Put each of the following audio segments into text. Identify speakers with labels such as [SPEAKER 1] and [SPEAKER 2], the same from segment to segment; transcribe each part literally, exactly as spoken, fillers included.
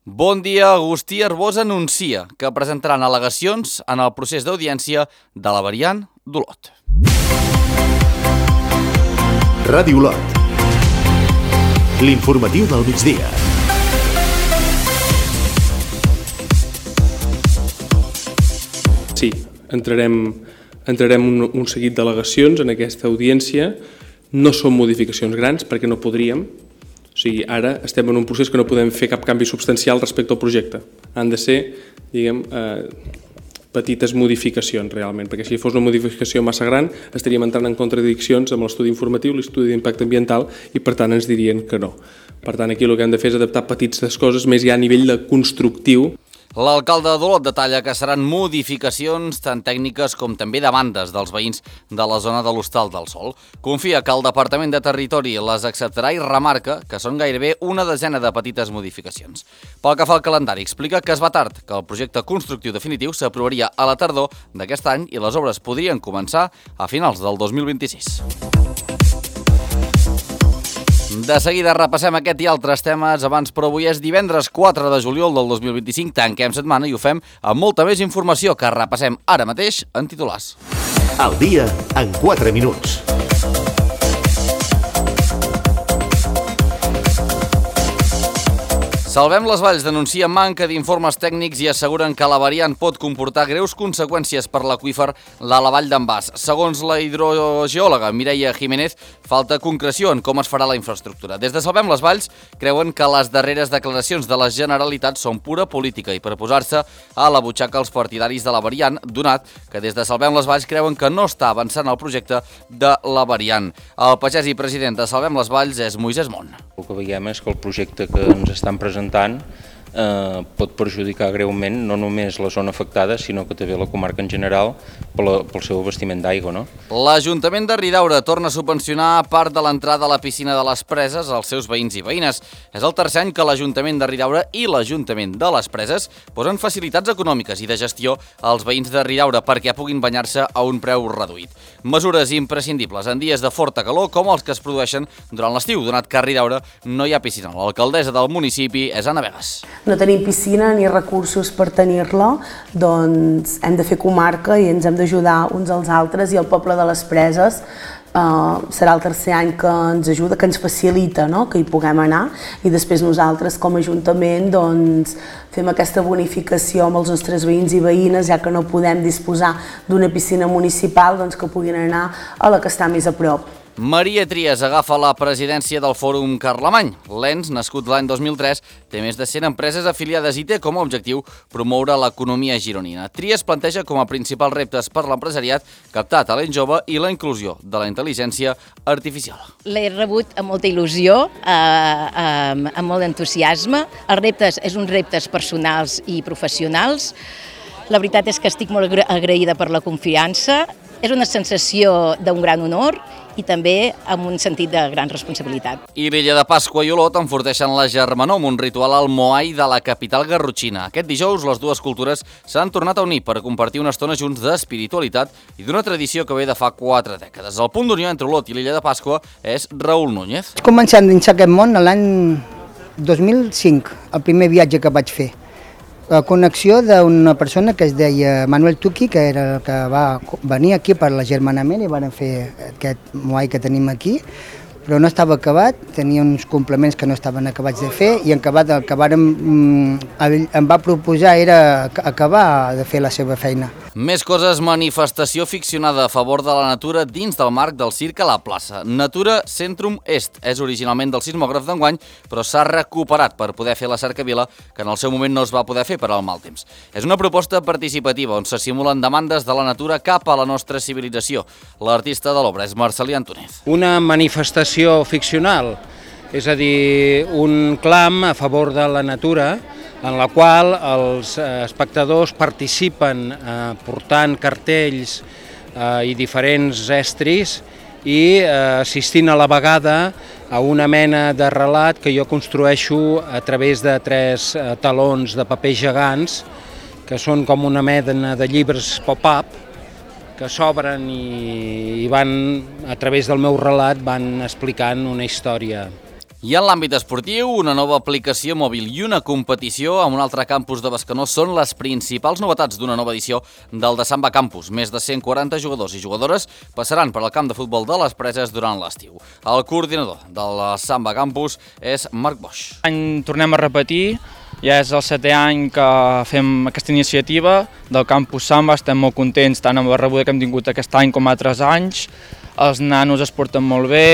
[SPEAKER 1] Bon dia. Agustí Arbós anuncia que presentaran al·legacions en el procés d'audiència de la variant d'Olot.
[SPEAKER 2] Ràdio Olot. L'informatiu del migdia.
[SPEAKER 3] Sí, entrarem, entrarem un, un seguit d'al·legacions en aquesta audiència. No són modificacions grans perquè no podríem. O sigui, ara estem en un procés que no podem fer cap canvi substancial respecte al projecte. Han de ser, diguem, eh, petites modificacions realment, perquè si fos una modificació massa gran estaríem entrant en contradiccions amb l'estudi informatiu, l'estudi d'impacte ambiental i per tant ens dirien que no. Per tant, aquí el que hem de fer és adaptar petites coses més ja a nivell de constructiu.
[SPEAKER 1] L'alcalde d'Olot detalla que seran modificacions tant tècniques com també demandes dels veïns de la zona de l'Hostal del Sol. Confia que el Departament de Territori les acceptarà i remarca que són gairebé una desena de petites modificacions. Pel que fa al calendari, explica que es va tard, que el projecte constructiu definitiu s'aprovaria a la tardor d'aquest any i les obres podrien començar a finals del dos mil vint-i-sis. De seguida repassem aquest i altres temes abans, però avui és divendres quatre de juliol del dos mil vint-i-cinc, tanquem setmana i ho fem amb molta més informació que repassem ara mateix en titulars.
[SPEAKER 2] Al dia en quatre minuts.
[SPEAKER 1] Salvem les Valls denuncia manca d'informes tècnics i asseguren que la variant pot comportar greus conseqüències per l'aqüífer de la Vall d'en Bas. Segons la hidrogeòloga Mireia Jiménez, falta concreció en com es farà la infraestructura. Des de Salvem les Valls creuen que les darreres declaracions de la Generalitat són pura política i per posar-se a la butxaca els partidaris de la variant, donat que des de Salvem les Valls creuen que no està avançant el projecte de la variant. El pagès i president de Salvem les Valls és Moisès Mont.
[SPEAKER 4] El que veiem és que el projecte que ens estan presentant eh, pot perjudicar greument no només la zona afectada, sinó que també la comarca en general pel, pel seu abastiment d'aigua. No?
[SPEAKER 1] L'Ajuntament de Ridaura torna a subvencionar part de l'entrada a la piscina de les Preses als seus veïns i veïnes. És el tercer any que l'Ajuntament de Ridaura i l'Ajuntament de les Preses posen facilitats econòmiques i de gestió als veïns de Ridaura perquè puguin banyar-se a un preu reduït. Mesures imprescindibles en dies de forta calor com els que es produeixen durant l'estiu, donat que a Ridaura no hi ha piscina. L'alcaldessa del municipi és Anna Vegas.
[SPEAKER 5] No tenim piscina ni recursos per tenir-la, doncs hem de fer comarca i ens hem d'ajudar uns als altres i el poble de les Preses Uh, serà el tercer any que ens ajuda, que ens facilita, no? Que hi puguem anar i després nosaltres com a Ajuntament doncs, fem aquesta bonificació amb els nostres veïns i veïnes, ja que no podem disposar d'una piscina municipal, doncs que puguin anar a la que està més a prop.
[SPEAKER 1] Maria Trias agafa la presidència del Fòrum Carlemany. L'E N S, nascut l'any dos mil tres, té més de cent empreses afiliades i té com a objectiu promoure l'economia gironina. Trias planteja com a principals reptes per l'empresariat captar talent jove i la inclusió de la intel·ligència artificial.
[SPEAKER 6] L'he rebut amb molta il·lusió, eh, amb, amb molt d'entusiasme. Els reptes és uns reptes personals i professionals. La veritat és que estic molt agraïda per la confiança. És una sensació d'un gran honor i també amb un sentit de gran responsabilitat.
[SPEAKER 1] I l'illa de Pasqua i Olot enforteixen la germanor amb un ritual al Moai de la capital garrotxina. Aquest dijous les dues cultures s'han tornat a unir per compartir una estona junts d'espiritualitat i d'una tradició que ve de fa quatre dècades. El punt d'unió entre Olot i l'illa de Pasqua és Raül Núñez.
[SPEAKER 7] Començant dins aquest món l'any dos mil cinc, el primer viatge que vaig fer. La connexió d'una persona que es deia Manuel Tuqui, que era el que va venir aquí per l'agermanament i van fer aquest moai que tenim aquí, però no estava acabat, tenia uns complements que no estaven acabats de fer i en acabat el que vàrem, em va proposar era acabar de fer la seva feina.
[SPEAKER 1] Més coses, manifestació ficcionada a favor de la natura dins del marc del circ a la plaça. Natura Centrum Est és originalment del sismògraf d'enguany, però s'ha recuperat per poder fer la cercavila que en el seu moment no es va poder fer per al mal temps. És una proposta participativa on se simulen demandes de la natura cap a la nostra civilització. L'artista de l'obra és Marcelí Antúnez.
[SPEAKER 8] Una manifestació ficcional, és a dir, un clam a favor de la natura en la qual els espectadors participen eh, portant cartells eh, i diferents estris i eh, assistint a la vegada a una mena de relat que jo construeixo a través de tres eh, talons de paper gegants que són com una mena de llibres pop-up que s'obren i, i van, a través del meu relat, van explicant una història.
[SPEAKER 1] I en l'àmbit esportiu, una nova aplicació mòbil i una competició amb un altre campus de Bescanó són les principals novetats d'una nova edició del de Samba Campus. Més de cent quaranta jugadors i jugadores passaran per al camp de futbol de les Preses durant l'estiu. El coordinador del Samba Campus és Marc Boix.
[SPEAKER 9] Any tornem a repetir, ja és el setè any que fem aquesta iniciativa del Campus Samba, estem molt contents tant amb la rebuda que hem tingut aquest any com altres anys, els nanos es porten molt bé,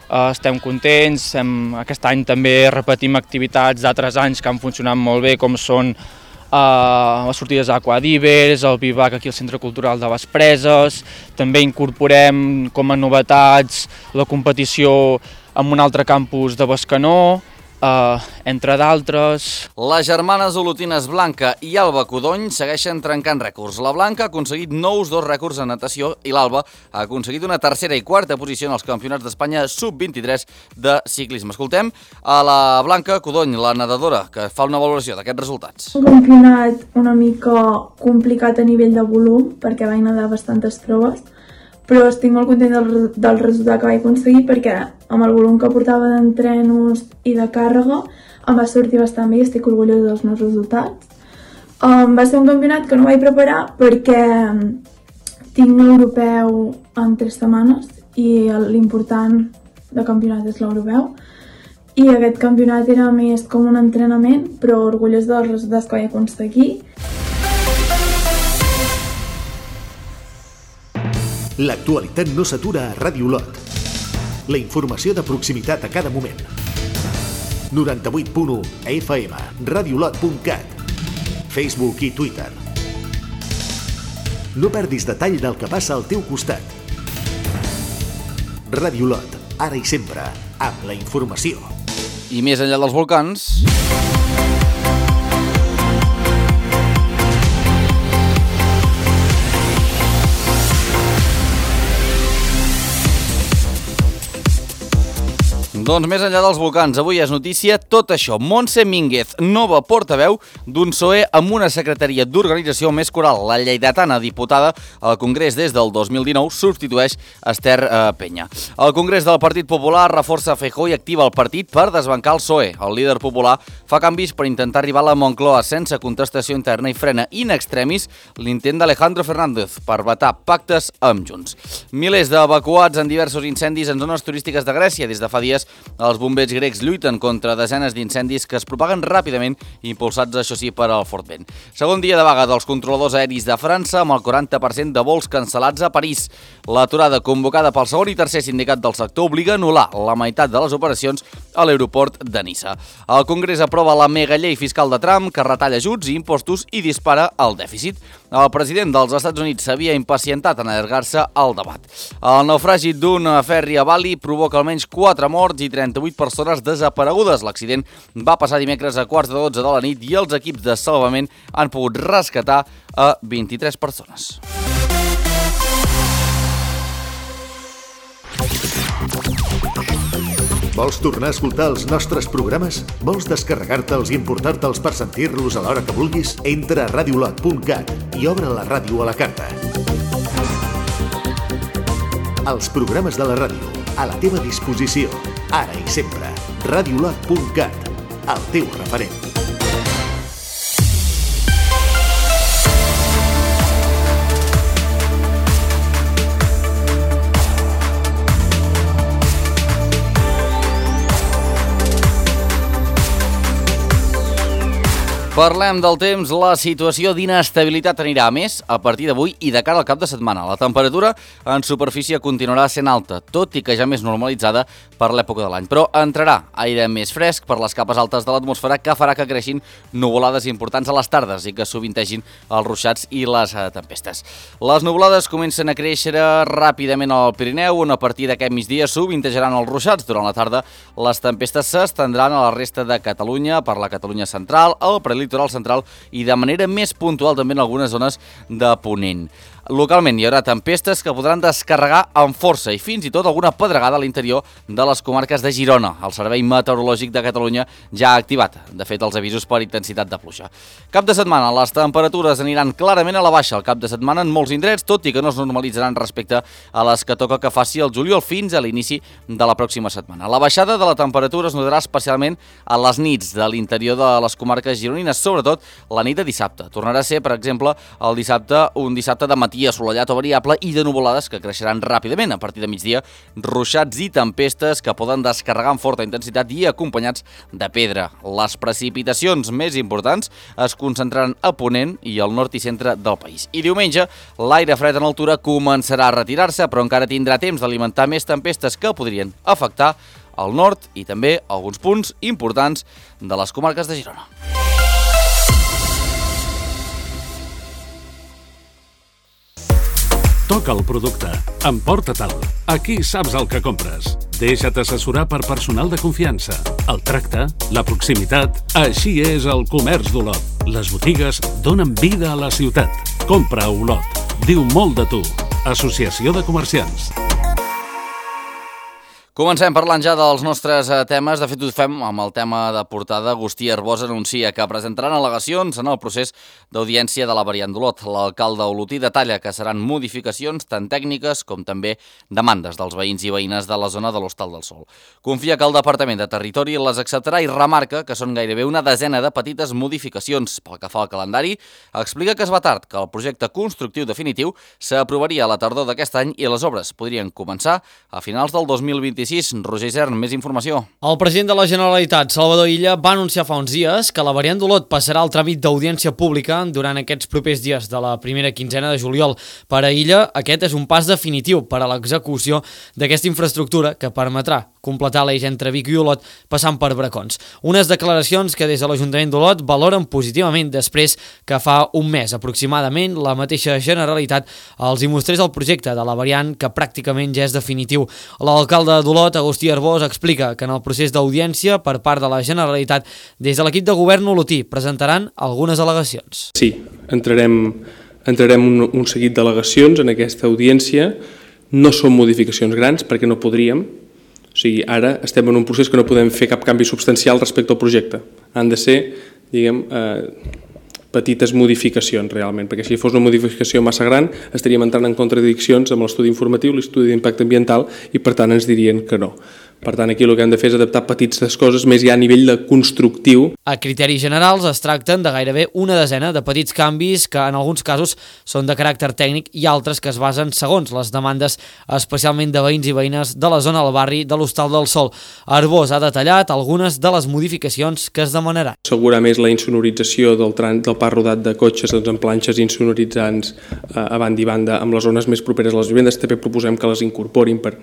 [SPEAKER 9] estem contents, hem, aquest any també repetim activitats d'altres anys que han funcionat molt bé, com són uh, les sortides a Aquadivers, el Vivac aquí al Centre Cultural de les Preses, també incorporem com a novetats la competició en un altre campus de Bescanó, Uh, entre d'altres.
[SPEAKER 1] Les germanes olotines Blanca i Alba Codony segueixen trencant rècords. La Blanca ha aconseguit nous dos rècords en natació i l'Alba ha aconseguit una tercera i quarta posició en els campionats d'Espanya sub vint-i-tres de ciclisme. Escoltem a la Blanca Codony, la nedadora, que fa una valoració d'aquests resultats.
[SPEAKER 10] Un campionat una mica complicat a nivell de volum, perquè vaig nedar bastantes proves, però estic molt content del, del resultat que vaig aconseguir perquè amb el volum que portava d'entrenos i de càrrega em va sortir bastant bé i estic orgullosa dels meus resultats. Um, va ser un campionat que no vaig preparar perquè tinc l'europeu en tres setmanes i l'important del campionat és l'europeu. I aquest campionat era més com un entrenament, però orgullós dels resultats que vaig aconseguir.
[SPEAKER 2] L'actualitat no s'atura a Ràdio Olot. La informació de proximitat a cada moment. noranta-vuit punt u F M, radiolot punt cat, Facebook i Twitter. No perdis detall del que passa al teu costat. Ràdio Olot, ara i sempre, amb la informació.
[SPEAKER 1] I més enllà dels volcans... Doncs més enllà dels volcans, avui és notícia tot això. Montse Mínguez, nova portaveu d'un P S O E amb una secretaria d'organització més coral. La lleidatana diputada al Congrés des del dos mil dinou substitueix Esther eh, Penya. El Congrés del Partit Popular reforça Feijóo i activa el partit per desbancar el P S O E. El líder popular fa canvis per intentar arribar a la Moncloa sense contestació interna i frena in extremis l'intent d'Alejandro Fernández per vetar pactes amb Junts. Milers d'evacuats en diversos incendis en zones turístiques de Grècia. Des de fa dies els bombers grecs lluiten contra desenes d'incendis que es propaguen ràpidament, impulsats, això sí, per al fort vent. Segon dia de vaga dels controladors aeris de França, amb el quaranta per cent de vols cancel·lats a París. L'aturada convocada pel segon i tercer sindicat del sector obliga a anul·lar la meitat de les operacions a l'aeroport de Niça. El Congrés aprova la megallei fiscal de Trump, que retalla ajuts i impostos i dispara el dèficit. El president dels Estats Units s'havia impacientat en allargar-se al debat. El naufragi d'un ferri a Bali provoca almenys quatre morts i trenta-vuit persones desaparegudes. L'accident va passar dimecres a quarts de dotze de la nit i els equips de salvament han pogut rescatar a vint-i-tres persones.
[SPEAKER 2] Vols tornar a escoltar els nostres programes? Vols descarregar-te'ls i emportar-te'ls per sentir-los a l'hora que vulguis? Entra a radiolot punt cat i obre la ràdio a la carta. Els programes de la ràdio, a la teva disposició, ara i sempre. radiolot punt cat, el teu referent.
[SPEAKER 1] Parlem del temps. La situació d'inestabilitat anirà a més a partir d'avui i de cara al cap de setmana. La temperatura en superfície continuarà sent alta, tot i que ja més normalitzada per l'època de l'any. Però entrarà aire més fresc per les capes altes de l'atmosfera, que farà que creixin nuvolades importants a les tardes i que sovintegin els ruixats i les tempestes. Les nuvolades comencen a créixer ràpidament al Pirineu, on a partir d'aquest migdia sovintejaran els ruixats. Durant la tarda les tempestes s'estendran a la resta de Catalunya, per la Catalunya central, el prelitoral central i de manera més puntual també en algunes zones de Ponent. Localment hi haurà tempestes que podran descarregar amb força i fins i tot alguna pedregada a l'interior de les comarques de Girona. El Servei Meteorològic de Catalunya ja ha activat, de fet, els avisos per intensitat de pluja. Cap de setmana, les temperatures aniran clarament a la baixa al cap de setmana en molts indrets, tot i que no es normalitzaran respecte a les que toca que faci el juliol fins a l'inici de la pròxima setmana. La baixada de la temperatura es notarà especialment a les nits de l'interior de les comarques gironines, sobretot la nit de dissabte. Tornarà a ser, per exemple, el dissabte, un dissabte de matí assolellat o variable i de nuvolades que creixeran ràpidament a partir de migdia, ruixats i tempestes que poden descarregar amb forta intensitat i acompanyats de pedra. Les precipitacions més importants es concentraran a Ponent i al nord i centre del país. I diumenge, l'aire fred en altura començarà a retirar-se, però encara tindrà temps d'alimentar més tempestes que podrien afectar al nord i també alguns punts importants de les comarques de Girona.
[SPEAKER 11] Toca el producte. Emporta-te'l. Aquí saps el que compres. Deixa't assessorar per personal de confiança. El tracte, la proximitat... Així és el comerç d'Olot. Les botigues donen vida a la ciutat. Compra a Olot. Diu molt de tu. Associació de Comerciants.
[SPEAKER 1] Comencem parlant ja dels nostres temes. De fet, ho fem amb el tema de portada. Agustí Arbós anuncia que presentaran al·legacions en el procés d'audiència de la variant d'Olot. L'alcalde olotí detalla que seran modificacions tant tècniques com també demandes dels veïns i veïnes de la zona de l'Hostal del Sol. Confia que el Departament de Territori les acceptarà i remarca que són gairebé una desena de petites modificacions. Pel que fa al calendari, explica que es va tard, que el projecte constructiu definitiu s'aprovaria a la tardor d'aquest any i les obres podrien començar a finals del dos mil vint-i-sis. Roger Isern, més informació.
[SPEAKER 12] El president de la Generalitat, Salvador Illa, va anunciar fa uns dies que la variant d'Olot passarà al tràmit d'audiència pública durant aquests propers dies de la primera quinzena de juliol. Per a Illa, aquest és un pas definitiu per a l'execució d'aquesta infraestructura que permetrà completar l'eix entre Vic i Olot passant per Bracons. Unes declaracions que des de l'Ajuntament d'Olot valoren positivament després que fa un mes aproximadament la mateixa Generalitat els hi mostrés el projecte de la variant que pràcticament ja és definitiu. L'alcalde d'Olot, Agustí Arbós, explica que en el procés d'audiència per part de la Generalitat, des de l'equip de govern olotí presentaran algunes al·legacions.
[SPEAKER 3] Sí, entrarem, entrarem un, un seguit d'al·legacions en aquesta audiència. No són modificacions grans perquè no podríem. O sigui, ara estem en un procés que no podem fer cap canvi substancial respecte al projecte. Han de ser, diguem, eh, petites modificacions realment, perquè si fos una modificació massa gran estaríem entrant en contradiccions amb l'estudi informatiu, l'estudi d'impacte ambiental i per tant ens dirien que no. Per tant, aquí el que hem de fer és adaptar petites coses més ja a nivell de constructiu.
[SPEAKER 12] A criteris generals es tracten de gairebé una desena de petits canvis que en alguns casos són de caràcter tècnic i altres que es basen segons les demandes especialment de veïns i veïnes de la zona del barri de l'Hostal del Sol. Arbós ha detallat algunes de les modificacions que es demanaran.
[SPEAKER 3] Assegurar més la insonorització del, tran del pas rodat de cotxes doncs, amb planxes insonoritzants eh, a banda i banda amb les zones més properes a les vivendes. També proposem que les incorporin per...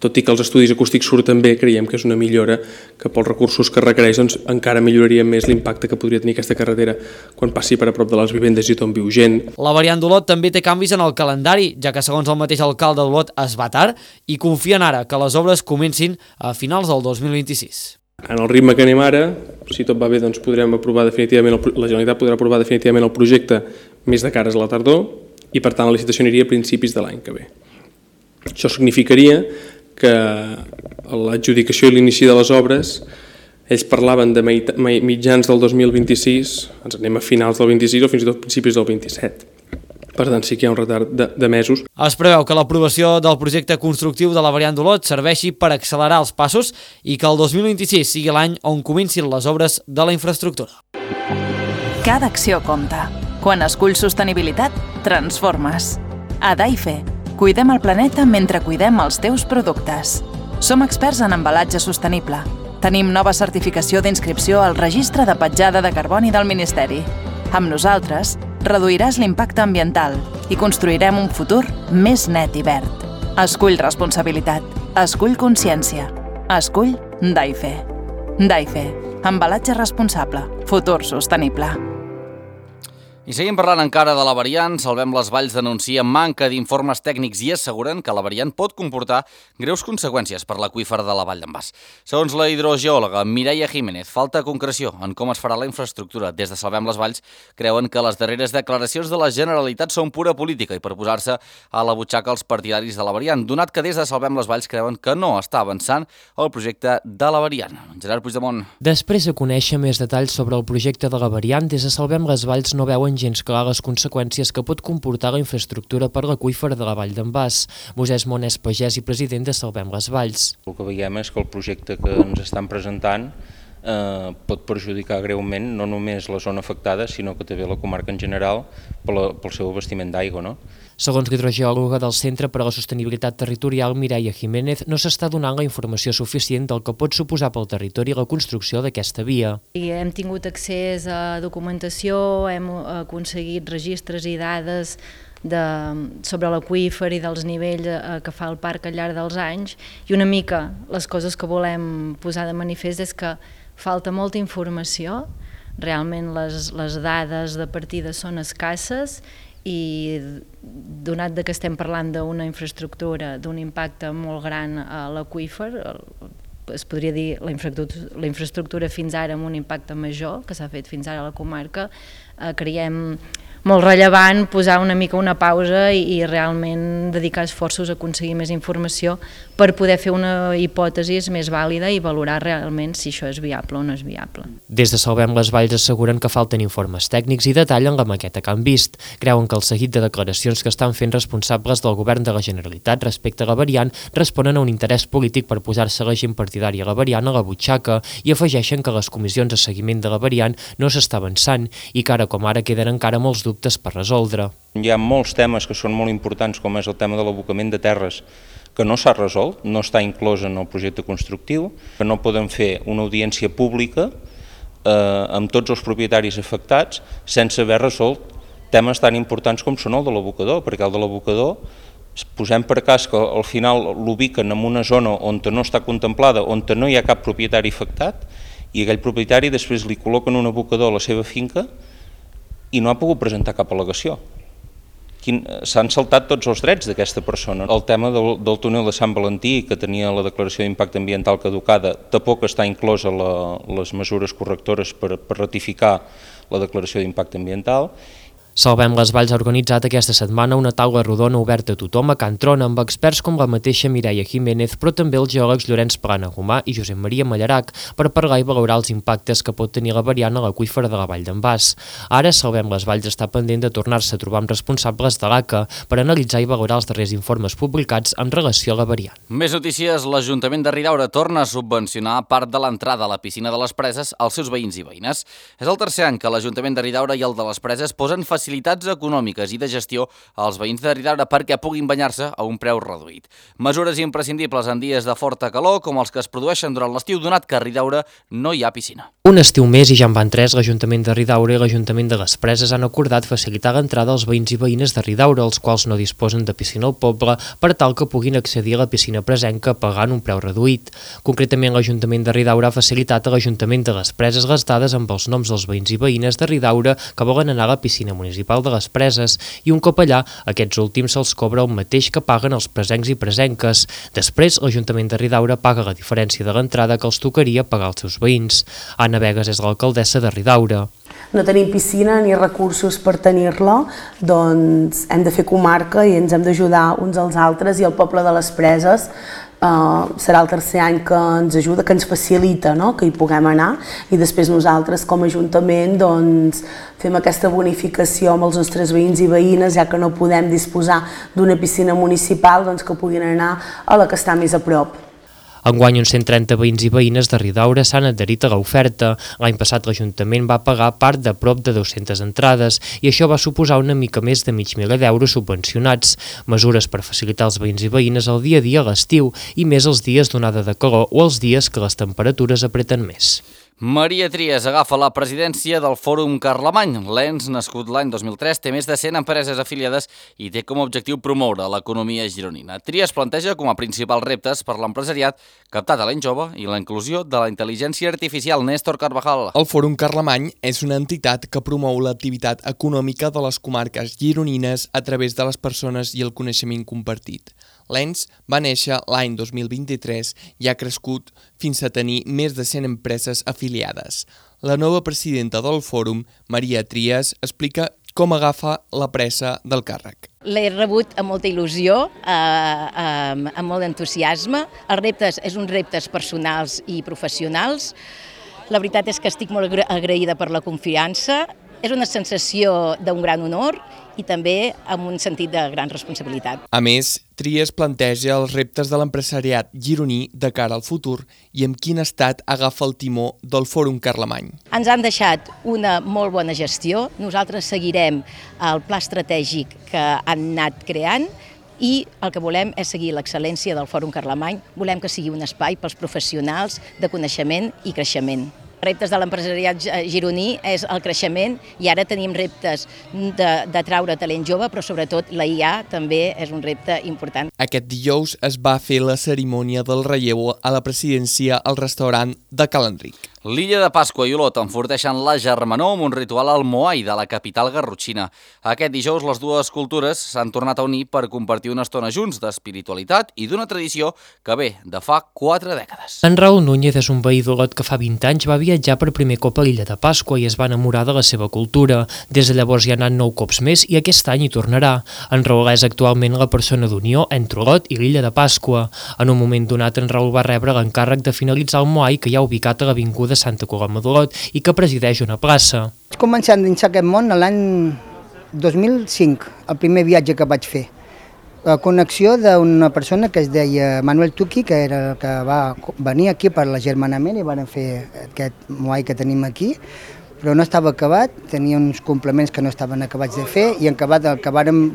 [SPEAKER 3] Tot i que els estudis acústics surten bé, creiem que és una millora que pels recursos que requereix doncs, encara milloraria més l'impacte que podria tenir aquesta carretera quan passi per a prop de les vivendes i on viu gent.
[SPEAKER 12] La variant d'Olot també té canvis en el calendari, ja que segons el mateix alcalde d'Olot es va tard i confien ara que les obres comencin a finals del dos mil vint-i-sis.
[SPEAKER 3] En el ritme que anem ara, si tot va bé, doncs podrem aprovar definitivament, el, la Generalitat podrà aprovar definitivament el projecte més de cares a la tardor i per tant la licitació aniria a principis de l'any que ve. Això significaria que l'adjudicació i l'inici de les obres, ells parlaven de mitjans del dos mil vint-i-sis, ens anem a finals del vint-i-sis o fins i tot principis del vint-i-set. Per tant, sí que hi ha un retard de, de mesos.
[SPEAKER 12] Es preveu que l'aprovació del projecte constructiu de la variant d'Olot serveixi per accelerar els passos i que el dos mil vint-i-sis sigui l'any on comencin les obres de la infraestructura.
[SPEAKER 13] Cada acció compta. Quan esculls sostenibilitat, transformes. A Daife, cuidem el planeta mentre cuidem els teus productes. Som experts en embalatge sostenible. Tenim nova certificació d'inscripció al Registre de Petjada de Carboni del Ministeri. Amb nosaltres, reduiràs l'impacte ambiental i construirem un futur més net i verd. Escull responsabilitat. Escull consciència. Escull Daife. Daife. Embalatge responsable. Futur sostenible.
[SPEAKER 1] I seguim parlant encara de la variant. Salvem les Valls denuncia manca d'informes tècnics i asseguren que la variant pot comportar greus conseqüències per l'aqüífer de la Vall d'en Bas. Segons la hidrogeòloga Mireia Jiménez, falta concreció en com es farà la infraestructura. Des de Salvem les Valls creuen que les darreres declaracions de la Generalitat són pura política i per posar-se a la butxaca els partidaris de la variant, donat que des de Salvem les Valls creuen que no està avançant el projecte de la variant. Gerard Puigdemont.
[SPEAKER 14] Després de conèixer més detalls sobre el projecte de la variant, des de Salvem les Valls no veuen gens clar les conseqüències que pot comportar la infraestructura per l'aqüífer de la Vall d'en Bas. Moisès Monés Pagès i president de Salvem les Valls.
[SPEAKER 4] El que veiem és que el projecte que ens estan presentant eh, pot perjudicar greument no només la zona afectada, sinó que també la comarca en general pel, pel seu abastiment d'aigua, no?
[SPEAKER 14] Segons l'hidrogeòloga del Centre per a la Sostenibilitat Territorial, Mireia Jiménez, no s'està donant la informació suficient del que pot suposar pel territori la construcció d'aquesta via.
[SPEAKER 15] I hem tingut accés a documentació, hem aconseguit registres i dades de, sobre l'aqüífer i dels nivells que fa el parc al llarg dels anys, i una mica les coses que volem posar de manifest és que falta molta informació, realment les, les dades de partida són escasses, i donat que estem parlant d'una infraestructura d'un impacte molt gran a l'aqüífer, es podria dir la infraestructura, la infraestructura fins ara amb un impacte major que s'ha fet fins ara a la comarca, eh, creiem molt rellevant posar una mica una pausa i, i realment dedicar esforços a aconseguir més informació per poder fer una hipòtesi més vàlida i valorar realment si això és viable o no és viable.
[SPEAKER 14] Des de Salvem les Valls asseguren que falten informes tècnics i detallen la maqueta que han vist. Creuen que el seguit de declaracions que estan fent responsables del govern de la Generalitat respecte a la variant responen a un interès polític per posar-se la gent partidària a la variant a la butxaca i afegeixen que les comissions de seguiment de la variant no s'està avançant i que ara com ara queden encara molts dubtes per resoldre.
[SPEAKER 4] Hi ha molts temes que són molt importants, com és el tema de l'abocament de terres, que no s'ha resolt, no està inclòs en el projecte constructiu, que no poden fer una audiència pública eh, amb tots els propietaris afectats sense haver resolt temes tan importants com són el de l'abocador, perquè el de l'abocador posem per cas que al final l'ubiquen en una zona on no està contemplada, on no hi ha cap propietari afectat, i aquell propietari després li col·loquen un abocador a la seva finca i no ha pogut presentar cap al·legació. S'han saltat tots els drets d'aquesta persona. El tema del, del túnel de Sant Valentí, que tenia la declaració d'impacte ambiental caducada, tampoc està inclòs a la, les mesures correctores per, per ratificar la declaració d'impacte ambiental.
[SPEAKER 14] Salvem les Valls ha organitzat aquesta setmana una taula rodona oberta a tothom a Can Trona amb experts com la mateixa Mireia Jiménez, però també els geòlegs Llorenç Plana Gomà i Josep Maria Mallarac per parlar i valorar els impactes que pot tenir la variant a l'aqüífer de la Vall d'en Bas. Ara Salvem les Valls està pendent de tornar-se a trobar amb responsables de l'A C A per analitzar i valorar els darrers informes publicats en relació a la variant.
[SPEAKER 1] Més notícies. L'Ajuntament de Ridaura torna a subvencionar part de l'entrada a la piscina de les Preses als seus veïns i veïnes. És el tercer any que l'Ajuntament de Ridaura i el de les Preses posen facilitats facilitats econòmiques i de gestió als veïns de Ridaura perquè puguin banyar-se a un preu reduït. Mesures imprescindibles en dies de forta calor com els que es produeixen durant l'estiu, donat que a Ridaura no hi ha piscina.
[SPEAKER 14] Un estiu més i ja en van tres, l'Ajuntament de Ridaura i l'Ajuntament de les Preses han acordat facilitar l'entrada als veïns i veïnes de Ridaura, els quals no disposen de piscina al poble, per tal que puguin accedir a la piscina presenca pagant un preu reduït. Concretament, l'Ajuntament de Ridaura ha facilitat a l'Ajuntament de les Preses les dades amb els noms dels veïns i veïnes de Ridaura que volen anar a la piscina municipal de les Preses i un cop allà, aquests últims se'ls cobra el mateix que paguen els presencs i presenques. Després, l'Ajuntament de Ridaura paga la diferència de l'entrada que els tocaria pagar als seus veïns. Anna Vegas és l'alcaldessa de Ridaura.
[SPEAKER 5] No tenim piscina ni recursos per tenir-la, doncs hem de fer comarca i ens hem d'ajudar uns als altres, i el poble de les Preses uh, serà el tercer any que ens ajuda, que ens facilita, no? Que hi puguem anar, i després nosaltres com a Ajuntament doncs, fem aquesta bonificació amb els nostres veïns i veïnes, ja que no podem disposar d'una piscina municipal, doncs que puguin anar a la que està més a prop.
[SPEAKER 14] Enguany, uns cent trenta veïns i veïnes de Ridaura s'han adherit a l'oferta. L'any passat l'Ajuntament va pagar part de prop de dues-centes entrades i això va suposar una mica més de mig miler d'euros subvencionats. Mesures per facilitar els veïns i veïnes el dia a dia a l'estiu i més els dies d'onada de calor o els dies que les temperatures apreten més.
[SPEAKER 1] Maria Trias agafa la presidència del Fòrum Carlemany. L'E N S, nascut l'any dos mil tres, té més de cent empreses afiliades i té com a objectiu promoure l'economia gironina. Trias planteja com a principals reptes per l'empresariat captar talent jove i la inclusió de la intel·ligència artificial. Néstor Carvajal.
[SPEAKER 16] El Fòrum Carlemany és una entitat que promou l'activitat econòmica de les comarques gironines a través de les persones i el coneixement compartit. L'E N S va néixer l'any dos mil vint-i-tres i ha crescut fins a tenir més de cent empreses afiliades. La nova presidenta del fòrum, Maria Trias, explica com agafa la pressa del càrrec.
[SPEAKER 6] L'he rebut amb molta il·lusió, eh, eh, amb molt d'entusiasme. Els reptes és uns reptes personals i professionals. La veritat és que estic molt agraïda per la confiança. És una sensació d'un gran honor i també amb un sentit de gran responsabilitat.
[SPEAKER 16] A més, Trias planteja els reptes de l'empresariat gironí de cara al futur i en quin estat agafa el timó del Fòrum Carlemany.
[SPEAKER 6] Ens han deixat una molt bona gestió. Nosaltres seguirem el pla estratègic que han anat creant i el que volem és seguir l'excel·lència del Fòrum Carlemany. Volem que sigui un espai pels professionals de coneixement i creixement. Reptes de l'empresariat gironí és el creixement i ara tenim reptes de, de traure talent jove, però sobretot la I A també és un repte important.
[SPEAKER 16] Aquest dijous es va fer la cerimònia del relleu a la presidència al restaurant de Cal Enric.
[SPEAKER 1] L'illa de Pasqua i Olot enforteixen la germanor amb un ritual al Moai de la capital garrotxina. Aquest dijous les dues cultures s'han tornat a unir per compartir una estona junts d'espiritualitat i d'una tradició que ve de fa quatre dècades.
[SPEAKER 14] En Raül Núñez és un veí d'Olot que fa vint anys va viatjar per primer cop a l'illa de Pasqua i es va enamorar de la seva cultura. Des de llavors hi ha anat nou cops més i aquest any hi tornarà. En Raül és actualment la persona d'unió entre Olot i l'illa de Pasqua. En un moment donat, en Raül va rebre l'encàrrec de finalitzar el Moai que hi ha ubicat a l'avinguda de Santa Coloma d'Olot i que presideix una plaça.
[SPEAKER 7] Vaig començar a endinsar aquest món l'any dos mil cinc, el primer viatge que vaig fer. La connexió d'una persona que es deia Manuel Tuqui, que era el que va venir aquí per l'agermanament i van fer aquest Moai que tenim aquí, però no estava acabat, tenia uns complements que no estaven acabats de fer i en acabat el que vàrem,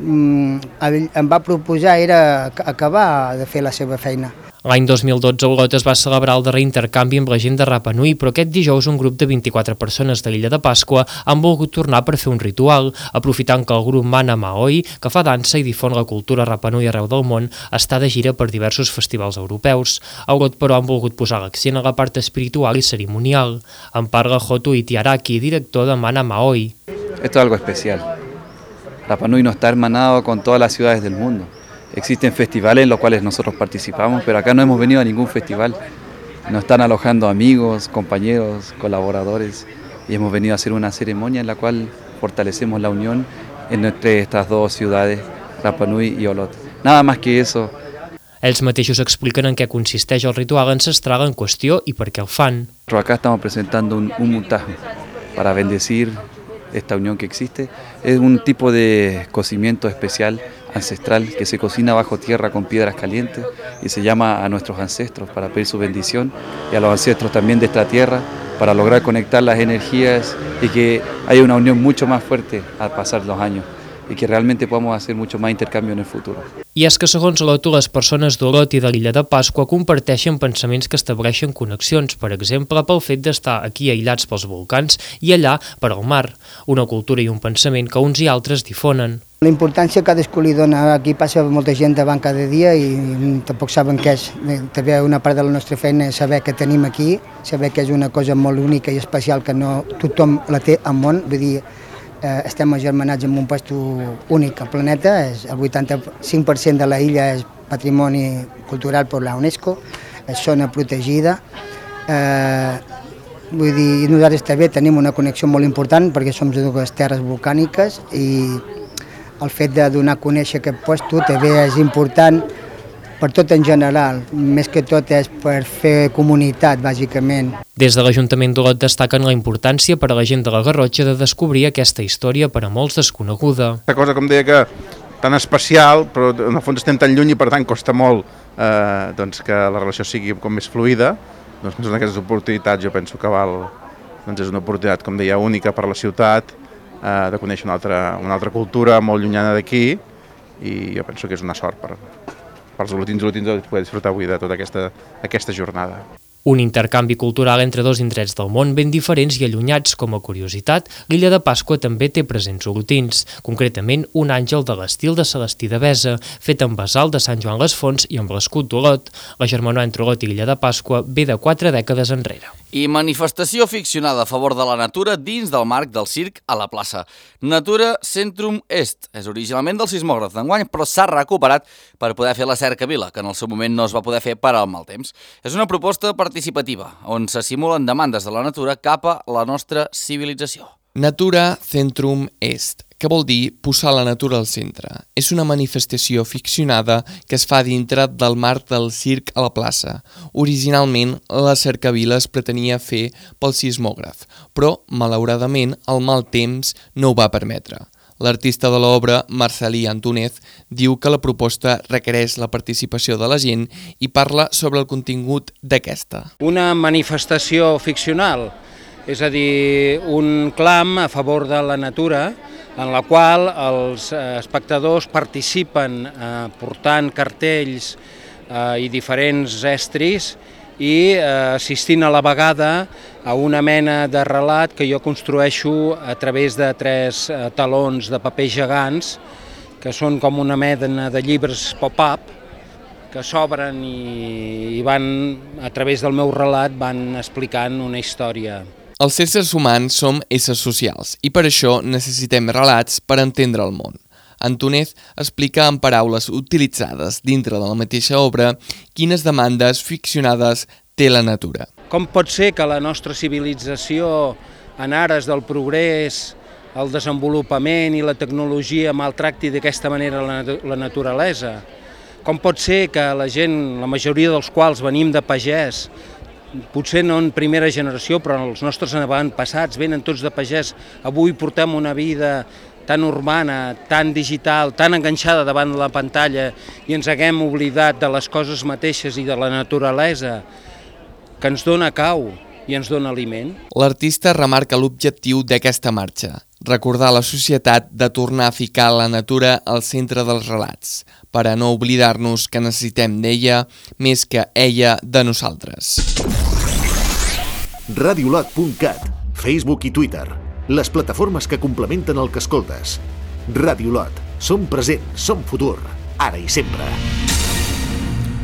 [SPEAKER 7] em va proposar era acabar de fer la seva feina.
[SPEAKER 14] L'any dos mil dotze a Olot es va celebrar el darrer intercanvi amb la gent de Rapa Nui, però aquest dijous un grup de vint-i-quatre persones de l'illa de Pasqua han volgut tornar per fer un ritual, aprofitant que el grup Mana Maoi, que fa dansa i difon la cultura Rapa Nui arreu del món, està de gira per diversos festivals europeus. A Olot, però, han volgut posar l'accent a la part espiritual i cerimonial. En parla Jotu Itiaraki, director de Mana Maoi.
[SPEAKER 17] Esto es algo especial. Rapa Nui no está hermanado con todas las ciudades del mundo. Existen festivales en los cuales nosotros participamos, pero acá no hemos venido a ningún festival. Nos están alojando amigos, compañeros, colaboradores y hemos venido a hacer una ceremonia en la cual fortalecemos la unión entre estas dos ciudades, Rapa Nui i Olot. Nada más que eso.
[SPEAKER 14] Ells mateixos expliquen en què consisteix el ritual ancestral en qüestió i per què el fan.
[SPEAKER 17] Acá estamos presentando un, un mutajo para bendecir esta unión que existe. Es un tipo de cocimiento especial ancestral que se cocina bajo tierra con piedras calientes y se llama a nuestros ancestros para pedir su bendición y a los ancestros también de esta tierra para lograr conectar las energías y que haya una unión mucho más fuerte al pasar los años i que realment podem fer molt més intercanvi en el futur.
[SPEAKER 14] I és que, segons l'Oto, les persones d'Olot i de l'illa de Pasqua comparteixen pensaments que estableixen connexions, per exemple, pel fet d'estar aquí aïllats pels volcans i allà per al mar, una cultura i un pensament que uns i altres difonen.
[SPEAKER 7] La importància que cadascú li dona, aquí passa molta gent davant cada dia i tampoc saben què és. També una part de la nostra feina és saber què tenim aquí, saber que és una cosa molt única i especial que no tothom la té al món, vull dir, estem agermanats en un puesto únic al planeta, el vuitanta-cinc per cent de la illa és patrimoni cultural per la UNESCO, és zona protegida. Vull dir, nosaltres també tenim una connexió molt important perquè som de dues terres volcàniques i el fet de donar a conèixer aquest puesto també és important per tot en general, més que tot és per fer comunitat, bàsicament.
[SPEAKER 14] Des de l'Ajuntament d'Olot destaquen la importància per a la gent de la Garrotxa de descobrir aquesta història per a molts desconeguda.
[SPEAKER 18] Una cosa, com deia, que tan especial, però en el fons estem tan lluny i per tant costa molt eh, doncs que la relació sigui com més fluida. Doncs en aquestes oportunitats jo penso que val, doncs és una oportunitat, com deia, única per a la ciutat, eh, de conèixer una altra, una altra cultura molt llunyana d'aquí i jo penso que és una sort per, per als olotins i olotines de poder disfrutar avui de tota aquesta, aquesta jornada.
[SPEAKER 14] Un intercanvi cultural entre dos indrets del món ben diferents i allunyats. Com a curiositat, l'illa de Pasqua també té presents olotins, concretament un àngel de l'estil de Celestí de Besa, fet amb basalt de Sant Joan les Fonts i amb l'escut d'Olot. La germanor entre Olot i l'illa de Pasqua ve de quatre dècades enrere.
[SPEAKER 1] I manifestació ficcionada a favor de la natura dins del marc del circ a la plaça. Natura Centrum Est. És originalment del sismògraf d'enguany, però s'ha recuperat per poder fer la cercavila, que en el seu moment no es va poder fer per al mal temps. És una proposta participativa, on se simulen demandes de la natura cap a la nostra civilització.
[SPEAKER 16] Natura Centrum Est, que vol dir posar la natura al centre. És una manifestació ficcionada que es fa dintre del marc del circ a la plaça. Originalment, la cercavila es pretenia fer pel sismògraf, però, malauradament, el mal temps no ho va permetre. L'artista de l'obra, Marcelí Antúnez, diu que la proposta requereix la participació de la gent i parla sobre el contingut d'aquesta.
[SPEAKER 8] Una manifestació ficcional, és a dir, un clam a favor de la natura, en la qual els espectadors participen eh, portant cartells eh, i diferents estris i eh, assistint a la vegada a una mena de relat que jo construeixo a través de tres eh, talons de paper gegants, que són com una mena de llibres pop-up, que s'obren i, i van, a través del meu relat, van explicant una història.
[SPEAKER 16] Els éssers humans som éssers socials i per això necessitem relats per entendre el món. Antúnez explica en paraules utilitzades dintre de la mateixa obra quines demandes ficcionades té la natura.
[SPEAKER 8] Com pot ser que la nostra civilització, en ares del progrés, el desenvolupament i la tecnologia maltracti d'aquesta manera la, la naturalesa? Com pot ser que la gent, la majoria dels quals venim de pagès, potser no en primera generació, però els nostres avantpassats venen tots de pagès, avui portem una vida tan urbana, tan digital, tan enganxada davant de la pantalla i ens haguem oblidat de les coses mateixes i de la naturalesa que ens dona cau i ens dona aliment.
[SPEAKER 16] L'artista remarca l'objectiu d'aquesta marxa, recordar a la societat de tornar a ficar la natura al centre dels relats, per a no oblidar-nos que necessitem d'ella més que ella de nosaltres.
[SPEAKER 2] radiolot punt cat, Facebook i Twitter, les plataformes que complementen el que escoltes. Radiolot, som present, som futur, ara i sempre.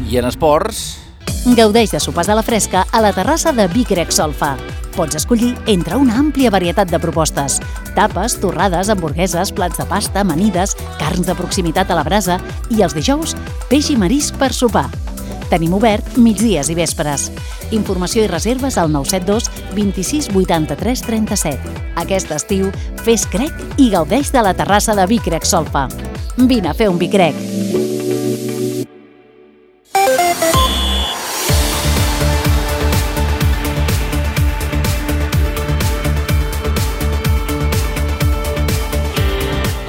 [SPEAKER 1] I en esports...
[SPEAKER 19] Gaudeix de sopars a la fresca a la terrassa de Vic Rec Solfa. Pots escollir entre una àmplia varietat de propostes. Tapes, torrades, hamburgueses, plats de pasta, amanides, carns de proximitat a la brasa i els dijous, peix i marisc per sopar. Tenim obert migdies i vespres. Informació i reserves al nou set dos vint-i-sis vuitanta-tres trenta-set. Aquest estiu, fes crec i gaudeix de la terrassa de Vic Rec Solfa. Vine a fer un Vic Rec.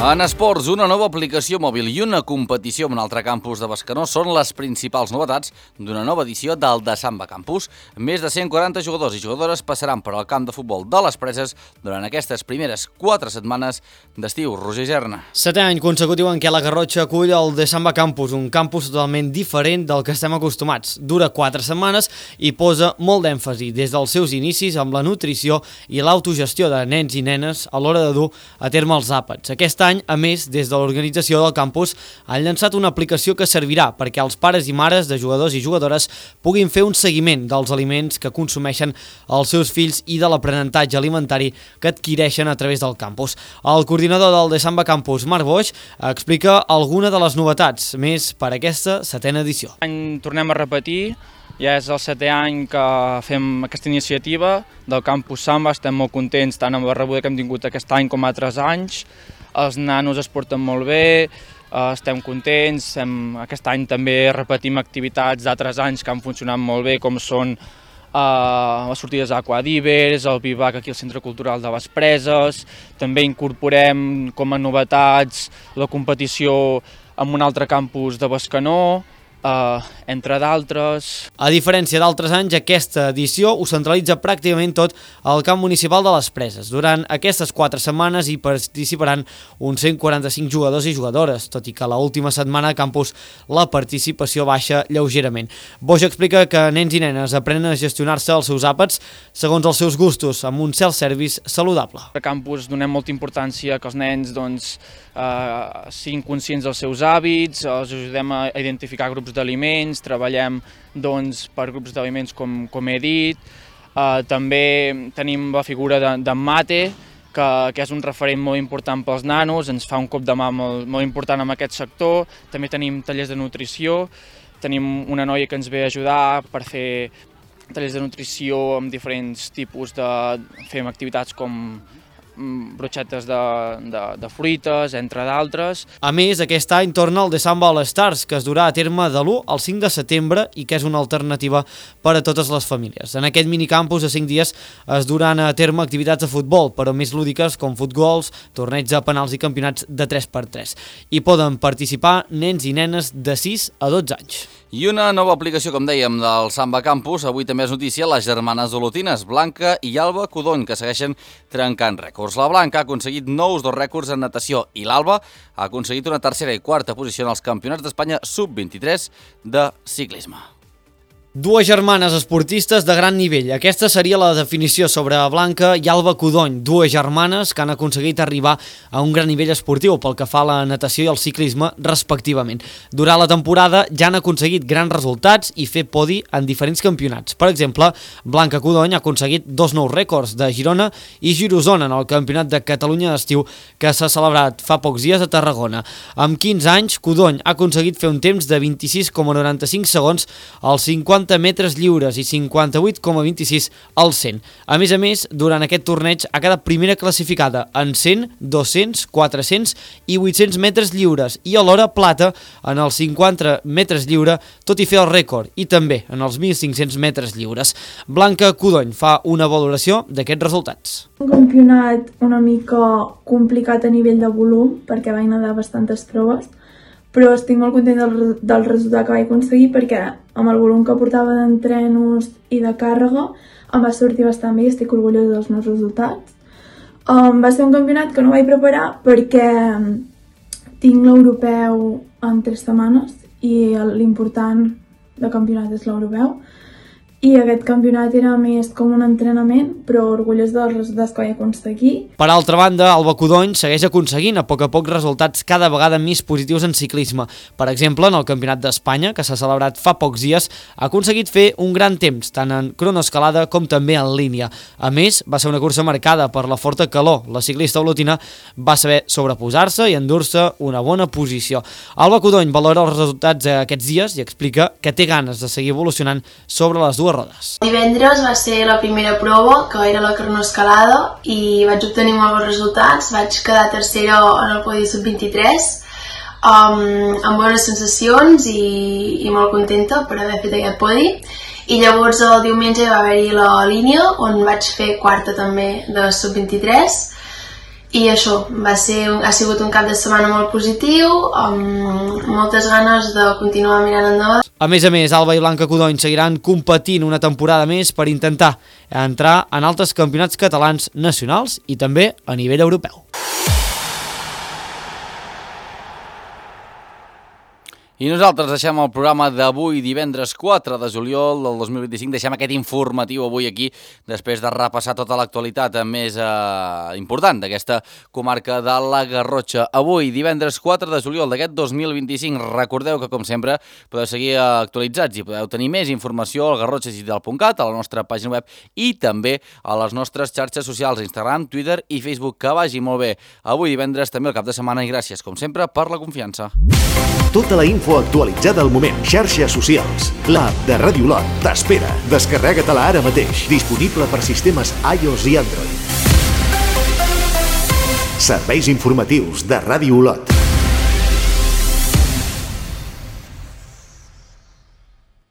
[SPEAKER 1] En esports, una nova aplicació mòbil i una competició amb un altre campus de Bescanó són les principals novetats d'una nova edició del Desamba Campus. Més de cent quaranta jugadors i jugadores passaran per al camp de futbol de les Preses durant aquestes primeres quatre setmanes d'estiu. Roger Gerna.
[SPEAKER 12] Setè any consecutiu en què la Garrotxa acull el Desamba Campus, un campus totalment diferent del que estem acostumats. Dura quatre setmanes i posa molt d'èmfasi des dels seus inicis amb la nutrició i l'autogestió de nens i nenes a l'hora de dur a terme els àpats. Aquest any, a més, des de l'organització del campus, han llançat una aplicació que servirà perquè els pares i mares de jugadors i jugadores puguin fer un seguiment dels aliments que consumeixen els seus fills i de l'aprenentatge alimentari que adquireixen a través del campus. El coordinador del Desamba Campus, Marc Boix, explica alguna de les novetats més per a aquesta setena edició.
[SPEAKER 9] Tornem a repetir. Ja és el setè any que fem aquesta iniciativa del Campus Samba, estem molt contents tant amb la rebuda que hem tingut aquest any com altres anys. Els nanos es porten molt bé, estem contents, aquest any també repetim activitats d'altres anys que han funcionat molt bé, com són les sortides a Aquadivers, el Vivac aquí al Centre Cultural de les Preses, també incorporem com a novetats la competició en un altre campus de Bescanó, Uh, entre d'altres.
[SPEAKER 12] A diferència d'altres anys, aquesta edició ho centralitza pràcticament tot al camp municipal de les Preses. Durant aquestes quatre setmanes hi participaran uns cent quaranta-cinc jugadors i jugadores, tot i que l'última setmana a campus la participació baixa lleugerament. Boix explica que nens i nenes aprenen a gestionar-se els seus àpats segons els seus gustos, amb un self-service saludable.
[SPEAKER 9] A campus donem molta importància que els nens doncs, eh, siguin conscients dels seus hàbits, els ajudem a identificar grups d'aliments, treballem doncs, per grups d'aliments com, com he dit. Uh, també tenim la figura d'en de, Mate, que, que és un referent molt important pels nanos, ens fa un cop de mà molt, molt important en aquest sector. També tenim tallers de nutrició, tenim una noia que ens ve a ajudar per fer tallers de nutrició amb diferents tipus de... fem activitats com broxetes de, de, de fruites, entre d'altres.
[SPEAKER 12] A més, aquest any torna el December All Stars, que es durà a terme de l'u al cinc de setembre i que és una alternativa per a totes les famílies. En aquest minicampus de cinc dies es duran a terme activitats de futbol, però més lúdiques com futgols, torneigs de penals i campionats de tres per tres. Hi poden participar nens i nenes de sis a dotze anys.
[SPEAKER 1] I una nova aplicació, com dèiem, del Samba Campus. Avui també és notícia les germanes olotines, Blanca i Alba Codony, que segueixen trencant rècords. La Blanca ha aconseguit nous dos rècords en natació i l'Alba ha aconseguit una tercera i quarta posició en els campionats d'Espanya sub vint-i-tres de ciclisme.
[SPEAKER 12] Dues germanes esportistes de gran nivell. Aquesta seria la definició sobre Blanca i Alba Codony, dues germanes que han aconseguit arribar a un gran nivell esportiu pel que fa a la natació i al ciclisme, respectivament. Durant la temporada ja han aconseguit grans resultats i fer podi en diferents campionats. Per exemple, Blanca Codony ha aconseguit dos nous rècords de Girona i Girosona en el Campionat de Catalunya d'estiu que s'ha celebrat fa pocs dies a Tarragona. Amb quinze anys, Codony ha aconseguit fer un temps de vint-i-sis coma noranta-cinc segons als cinquanta metres lliures i cinquanta-vuit coma vint-i-sis al cent. A més a més, durant aquest torneig ha quedat primera classificada en cent, dos-cents, quatre-cents i vuit-cents metres lliures i alhora plata en els cinquanta metres lliure, tot i fer el rècord, i també en els mil cinc-cents metres lliures. Blanca Codony fa una valoració d'aquests resultats.
[SPEAKER 10] Un campionat una mica complicat a nivell de volum, perquè vaig nedar bastantes proves, però estic molt content del, del resultat que vaig aconseguir perquè amb el volum que portava d'entrenos i de càrrega em va sortir bastant bé i estic orgullosa dels meus resultats. Um, va ser un campionat que no vaig preparar perquè tinc l'europeu en tres setmanes i l'important del campionat és l'europeu. I aquest campionat era més com un entrenament, però orgullós dels resultats que vaig aconseguir.
[SPEAKER 12] Per altra banda, Alba Codony segueix aconseguint a poc a poc resultats cada vegada més positius en ciclisme. Per exemple, en el Campionat d'Espanya, que s'ha celebrat fa pocs dies, ha aconseguit fer un gran temps, tant en cronoescalada com també en línia. A més, va ser una cursa marcada per la forta calor. La ciclista olotina va saber sobreposar-se i endur-se una bona posició. Alba Codony valora els resultats aquests dies i explica que té ganes de seguir evolucionant sobre les dues rodes.
[SPEAKER 20] Divendres va ser la primera prova, que era la cronoescalada, i vaig obtenir molts bons resultats. Vaig quedar tercera en el podi sub vint-i-tres, um, amb bones sensacions i, i molt contenta per haver fet aquest podi. I llavors el diumenge va haver-hi la línia, on vaig fer quarta també de sub vint-i-tres. I això, va ser, ha sigut un cap de setmana molt positiu, amb moltes ganes de continuar mirant endavant.
[SPEAKER 12] A més a més, Alba i Blanca Codony seguiran competint una temporada més per intentar entrar en altres campionats catalans nacionals i també a nivell europeu.
[SPEAKER 1] I nosaltres deixem el programa d'avui, divendres quatre de juliol del dos mil vint-i-cinc. Deixem aquest informatiu avui aquí, després de repassar tota l'actualitat més eh, important d'aquesta comarca de la Garrotxa. Avui, divendres quatre de juliol d'aquest dos mil vint-i-cinc. Recordeu que, com sempre, podeu seguir actualitzats i podeu tenir més informació al garrotxa digital punt cat, a la nostra pàgina web i també a les nostres xarxes socials, Instagram, Twitter i Facebook. Que vagi molt bé. Avui, divendres, també el cap de setmana, i gràcies, com sempre, per la confiança.
[SPEAKER 2] Tota la info actualitzada al moment. Xarxes socials. L'app de Ràdio Olot t'espera. Descarrega-te-la ara mateix. Disponible per sistemes iOS i Android. Serveis informatius de Ràdio Olot.